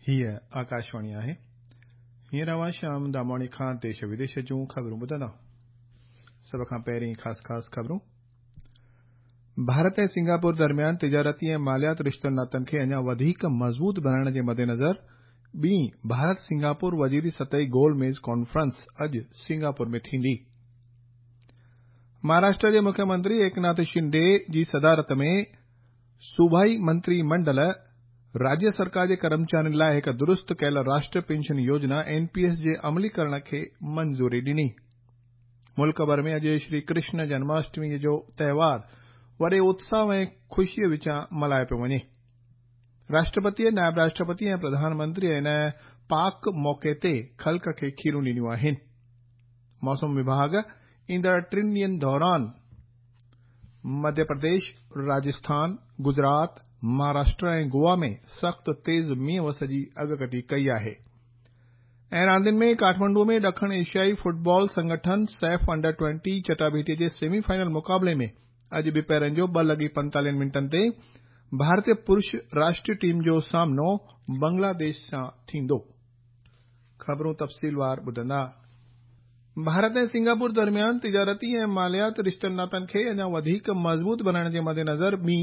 هيء آڪاشواڻي آهي. هينئر اوهان شيام داماڻي کان ديش وديش جون خبرون ٻڌندا. سڀ کان پهرين خاص خاص خبرون. ڀارت ۽ سنگاپور درميان تجارتي ۽ ماليات رشتن ناتن کي اڃا وڌيڪ مضبوط بڻائڻ جي مدنظر ٻي ڀارت سنگاپور وزيري سطحي گول ميز ڪانفرنس اڄ سنگاپور ۾ ٿيندي. مهاراشٽر جي مکيه منتري ايڪناٿ شنڊي جي صدارت ۾ صوبائي منتري منڊل راجيه سرڪار جي ڪرمچارين لاءِ هڪ درست ڪيل راشٽريه پينشن يوجنا اين پي ايس جي عملي ڪرڻ کي منظوري ڏني. ملڪ ڀر ۾ اڄ شري ڪرشن جنماشٽمي جو تهوار وڏي اتساهه ۽ خوشيءَ وچان ملهايو پيو وڃي. راشٽرپتي، نائب راشٽرپتي ۽ پرڌان منتري ان پاڪ موقعي تي خلق کي کيرون ڏنيون آهن. موسم وڀاڳ ايندڙ ٽن ڏينهن دوران مڌيه پرديش، راجسٿان، گجرات، مهاراشٽر ۽ گوا ۾ سخت تيز مينهن وس جي اڳڪٿي ڪئي آهي. ۽ راندين ۾ ڪاٺمنڊو ۾ ڏکڻ ايشيائي فٽبال سنگٺن سيف انڊر 20 چٽاڀيٽي جي سيمي فائنل مقابلي ۾ اڄ ٻپهرن جو 2:45 منٽن تي ڀارتي پرش راشٽريه ٽيم جو سامنو بنگلاديش سان ٿيندو. خبرون تفصيلوار ٻڌندا. ڀارت ۽ سنگاپور درميان تجارتي ۽ ماليات رشتن ناتن کي اڃا وڌيڪ مضبوط بڻائڻ جي مدنظر ٻي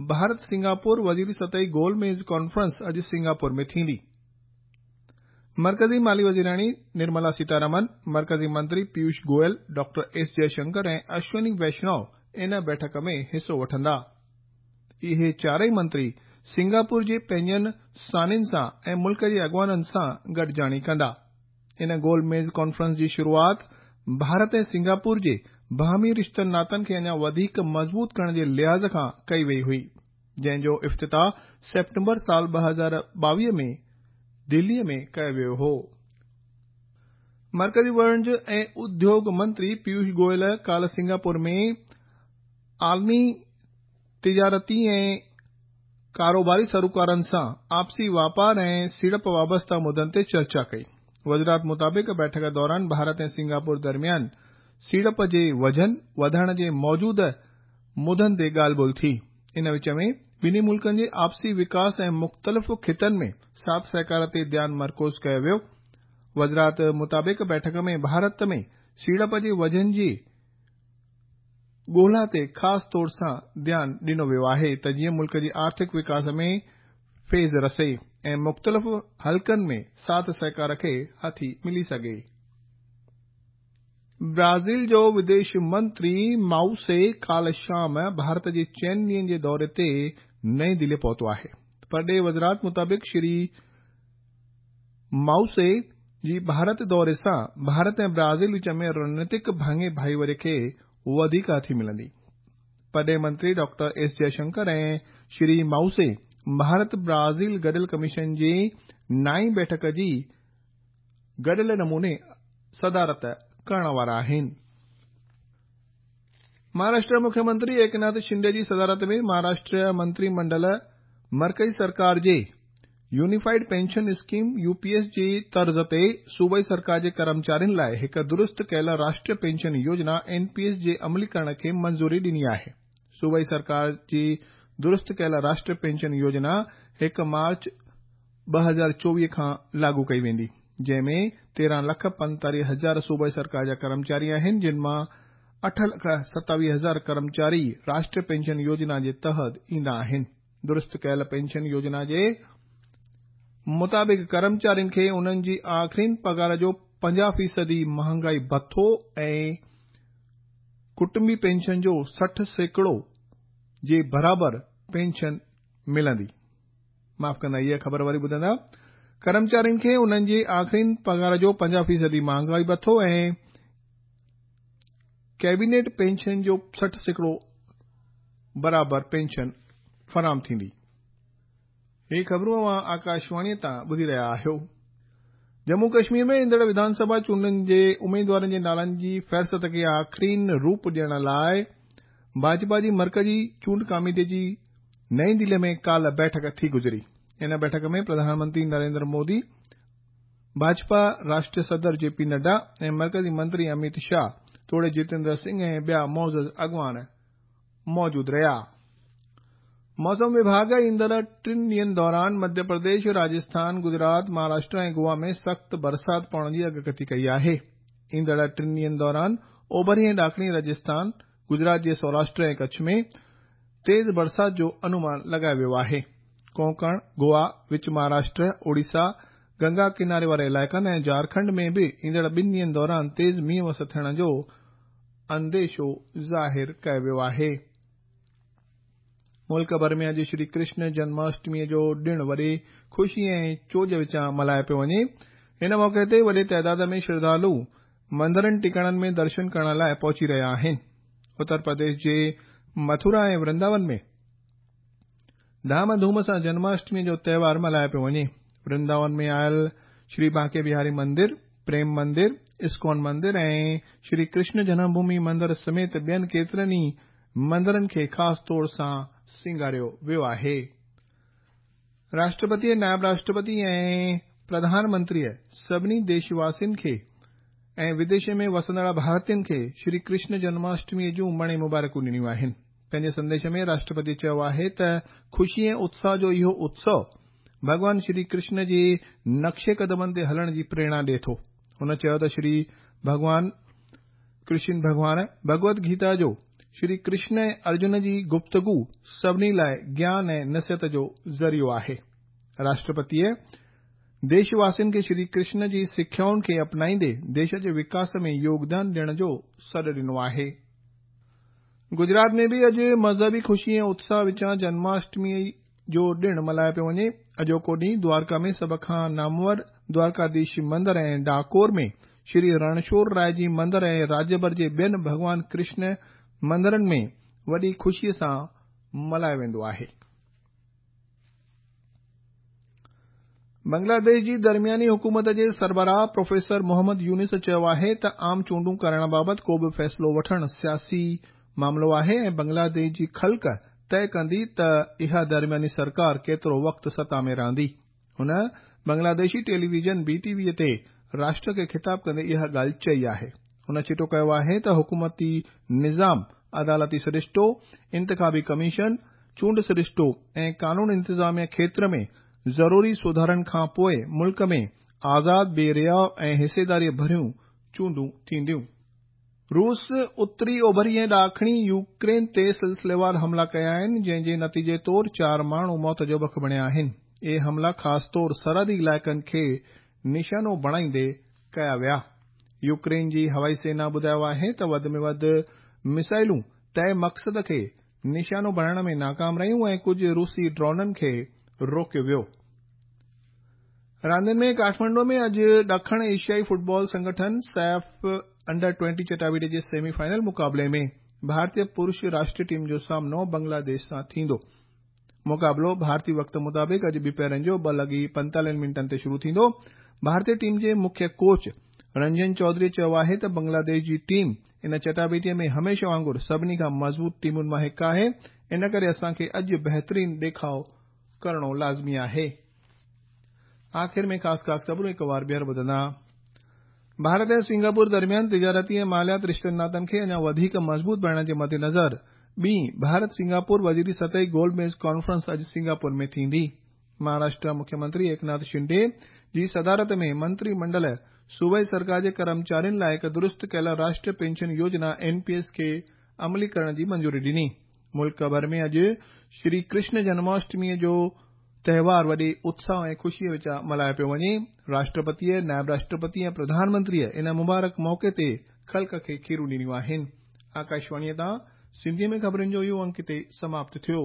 ڀارت سنگاپور وزيري سطحي گول ميز ڪانفرنس اڄ سنگاپور ۾ ٿيندي. مرڪزي مالي وزيراڻي نرملا سيتارامن، مرڪزي منتري پيوش گوئل، ڊاڪٽر ايس جئشنڪر ۽ اشوني ويشنو ان بيٺڪ ۾ حصو وٺندا. اهي چارئي منتري سنگاپور جي پنهنجن سانين سان ۽ ملڪ جي اڳواڻن سان گڏجاڻي ڪندا. ان گول ميز ڪانفرنس جي شروعات ڀارت ۽ سنگاپور جي باهمي رشتن ناتن کي اڃا وڌيڪ مضبوط ڪرڻ جي لحاظ کان ڪئي وئي هئي، جنهن جو افتتاح سيپٽمبر سال 2022 ۾ دلي ۾ ڪيو ويو هو. مرڪزي وڻج ۽ اديوگ منتري پيوش گوئل ڪالهه سنگاپور ۾ عالمي تجارتي ۽ ڪاروباري سروڪارن سان آپسي واپار ۽ سيڙپ وابسته مدن تي چرچا ڪئي. وزارت مطابق بيٺڪ دوران ڀارت ۽ سنگاپور درميان سيڙپ جي وجهن وڌائڻ جي موجوده مدن تي ڳالهه ٻولهه ٿي. ان وچ ۾ ٻنهي ملڪن جي آپسي وڪاس ۽ مختلف خطن ۾ ساٿ سهڪار تي ڌيان مرڪوز ڪيو ويو. وزارت مطابق بيٺڪ ۾ ڀارت ۾ سيڙپ جي وجهن جي ڳولا تي خاص طور سان ڌيان ڏنو ويو آهي ته جيئن ملڪ جي آرٿڪ وڪاس ۾ فيض رسي ۽ مختلف حلقن ۾ ساٿ سهڪار کي هٿي ملي سگهي. برازيل جو وديش منتري مائوسي ڪالهه شام ڀارت جي چئن ڏينهن جي دوري تي نئين دلي پهتو آهي. پرڏيهي وزارت مطابق شري مائوسي جي ڀارت دوري سان ڀارت ۽ برازيل وچ ۾ رڻنيتڪ ڀاڱي ڀائيواري کي وڌيڪ هٿي ملندي. پرڏيهي منتري ڊاڪٽر ايس جئشنڪر ۽ شري مائوسي ڀارت برازيل گڏيل ڪميشن جي نائين بيٺڪ جي گڏيل نموني صدارت ڪرڻ وارا آهن. مهاراشٽر مکيه منتري ايڪناٿ شنڊي جي صدارت ۾ مهاراشٽر منتري منڊل مرڪزي سرڪار جي unified pension scheme, U P S, جي طرز تي صوبائي سرڪار جي ڪرمچارين لاءِ هڪ درست ڪيل راشٽريه پينشن يوجنا، اين پي ايس، جي عملي ڪرڻ کي منظوري ڏني آهي. صوبائي سرڪار جي درست ڪيل راشٽريه پينشن يوجنا 1 مارچ 2024 کان لاڳو ڪئي ويندي، جنهن ۾ 13 لک 45 هزار صوبائي سرڪار جا ڪرمچاري آهن، جن مان 8 لک 27 هزار ڪرمچاري راشٽريه پينشن يوجنا جي تحت ايندا آهن. درست ڪيل پينشن يوجنا جي مطابق ڪرمچارين کي انهن جي آخرين پگهار جو 50 فيصدي مهانگائي ڀتو ۽ ڪٽنبي پينشن جو 60% جي برابر پينشن ملندي. معاف ڪندا هيء خبر وري ٻڌندا. ڪرمچارين کي انهن جي آخرين پگهار جو 50 فيصدي مهانگائي ڀتو ۽ ڪيبينيٽ پينشن جو 60% برابر پينشن فراهم ٿيندي. هي خبرون اوهان آڪاشواڻيء تان ٻڌي رهيا آهيو. ڄمون ڪشمير ۾ ايندڙ وڌان سڀا چونڊن جي اميدوارن جي نالن جي فهرست کي آخرين روپ ڏيڻ لاء ڀاجپا جي مرڪزي چونڊ ڪاميٽي جي نئين دهلي ۾ ڪالهه بيٺڪ ٿي گذري. ان بيٺڪ ۾ پرڌان منتري نريندر مودي، ڀاجپا راشٽريه صدر جي پي نڊا ۽ مرڪزي منتري اميت شاهه توڙي جتيندر سنگهه ۽ ٻيا معزز اڳواڻ موجود رهيا. موسم وڀاڳ ايندڙ ٽن ڏينهن دوران مڌيه پرديش، راجسٿان، گجرات، مهاراشٽر ۽ گوا ۾ سخت برسات پوڻ جي اڳڪٿي ڪئي آهي. ايندڙ ٽن ڏينهن دوران اوڀري ۽ ڏاکڻي راجسٿان، گجرات جي سوراشٽر ۽ ڪڇ ۾ تيز برسات جو انومان لڳايو ويو آهي. ڪونڪڻ، گوا، وچ مهاراشٽر، اوڙيسا، گنگا ڪناري واري علائقن ۽ جهارکنڊ ۾ به ايندڙ ٻن ڏينهن دوران تيز مينهن وس ٿيڻ جو انديشو ظاهر ڪيو ويو آهي. ملڪ ڀر ۾ اڄ شري ڪرشن جنماشٽميء جو ڏڻ وڏي خوشي ۽ چوڄ وچان ملهايو پيو وڃي. هن موقعي تي وڏي تعداد ۾ شرڌالو مندرن ٽڪاڻن ۾ درشن ڪرڻ لاء پهچي رهيا آهن. اتر پرديش جي مٿرا ۽ ورنداون ۾ ڌام ڌوم سان جنماشٽميء جو تهوار ملهايو پيو وڃي. ورنداون ۾ آيل شري بانڪي بهاري مندر، پريم مندر، اسڪون مندر ۽ شري ڪرشن جنم ڀومي مندر سميت ٻين ڪيترن ئي مندرن کي خاص طور سان سينگاريو ويو آهي. راشٽرپتي، نائب راشٽرپتي ۽ پرڌان منتريء سڀني ديش واسين کي ۽ وديش ۾ وسندڙ ڀارتين کي شري ڪرشن جنماشٽميء جون مڻي مبارڪون ڏنيون آهن. پنهنجي سنديش ۾ راشٽرپتي چيو آهي ته خوشي ۽ اتساهه جو اهو اتسو ڀڳوان شري ڪرشن جي نقش قدمن تي هلڻ جي پريرڻا ڏئي ٿو. هن چيو ته شري ڀڳوان ڪرشن ڀڳوان ڀڳوت گيتا جو شري ڪرشن ۽ ارجن جي گفتگو سڀني لاء گيان ۽ نصيحت جو ذريعو آهي. راشٽرپتيء ديش واسين کي شري ڪرشن جي سکيائن کي اپنائيندي ديش جي وڪاس ۾ يوگدان ڏيڻ جو سڏ ڏنو آهي. گجرات ۾ به اڄ مذهبي خوشي ۽ اتساهه وچان جنماشٽميء جو ڏڻ ملهايو پيو وڃي. اڄوڪو ڏينهن دوارڪا ۾ سڀ کان نامور دوارڪاڌيش مندر ۽ ڊاڪور ۾ شري رڻڇوڙ راء جي مندر ۽ راجيه ڀر جي ٻين ڀڳوان ڪرشن مندرن ۾ وڏي خوشيء سان ملهايو ويندو آهي. بنگلاديش جي درمياني حڪومت جي سربراهه پروفيسر محمد يونس چيو آهي ته عام چونڊون ڪرائڻ بابت ڪو به فيصلو وٺڻ سياسي معاملو آهي ۽ بنگلاديش جي خلق طئي ڪندي ته اها درمياني سرڪار ڪيترو وقت ستا ۾ رهندي. هن بنگلاديشي ٽيليويزن بي ٽي وي تي راشٽر کي خطاب ڪندي اها ڳالهه چئي آهي. هن چٽو ڪيو آهي ته حڪومتي نظام، عدالتي سرشتو، انتخابي ڪميشن، چونڊ سرشتو ۽ قانون انتظاميه کيتر ۾ ضروري سڌارن کان پوء ملڪ ۾ آزاد، بي رياء ۽ حصيداريء ڀريون چونڊون ٿينديون. روس اتري، اوڀري ۽ ڏاکڻي يوڪرين تي سلسليوار حملا ڪيا آهن، جنهن جي نتيجي طور چار ماڻهو موت جو بک بڻيا آهن. اهي حملا خاص طور سرحدي علائقن کي نشانو بڻائيندي ڪيا ويا. يوڪرين جي هوائي سينا ٻڌايو آهي ته وڌ ۾ وڌ ميزائلون طئي مقصد کي نشانو بڻائڻ ۾ ناڪام رهيون ۽ ڪجهه روسي ڊرونن کي روڪيو ويو. راندين ۾ ڪاٺمانڊو ۾ اڄ ڏکڻ ايشيائي فٽبال سنگٺن سيف انڊر 20 چٽاڀيٽي جي سيمي فائنل مقابلي ۾ ڀارتي پرش راشٽري ٽيم جو سامنو بنگلاديش سان ٿيندو. مقابلو ڀارتي وقت مطابق اڄ ٻپهرن جو 2:45 منٽن تي شروع ٿيندو. ڀارتي ٽيم جي مکيه ڪوچ رنجن چوڌري چيو آهي ته بنگلاديش جي ٽيم ان چٽاڀيٽي ۾ هميشه وانگر سڀني کان مضبوط ٽيمن مان هڪ آهي، ان ڪري اسان کي اڄ بهترين ڏيکاء ڪرڻو لازمي آهي. آخر ۾ خاص خاص خبرون هڪ وار ٻيهر ٻڌندا. ڀارت ۽ سنگاپور درميان تجارتي ۽ ماليات رشتن ناتن کي اڃا وڌيڪ مضبوط بڻائڻ جي مدنظر ٻي ڀارت سنگاپور وزيري سطحي گول ميز ڪانفرنس اڄ سنگاپور ۾ ٿيندي. مهاراشٽر مکيه منتري ايڪناٿ شنڊي جي صدارت ۾ منتري منڊل صوبائي سرڪار جي ڪرمچارين لاء هڪ درست ڪيل راشٽريه پينشن يوجنا اين پي ايس کي عملي ڪرڻ جي منظوري ڏني. ملڪ ڀر ۾ اڄ شري ڪرشن جنماشٽميء جو تهوار وڏي اتساهه ۽ خوشيء وچان ملهايو پيو وڃي. راشٽرپتيء، نائب راشٽرپتي ۽ پرڌان منتريء ان مبارڪ موقعي تي خلق کي کيرون ڏنيون آهن. آڪاشواڻيء تان سنڌيء ۾ خبرن جو اهو انڪ هتي سماپت ٿيو.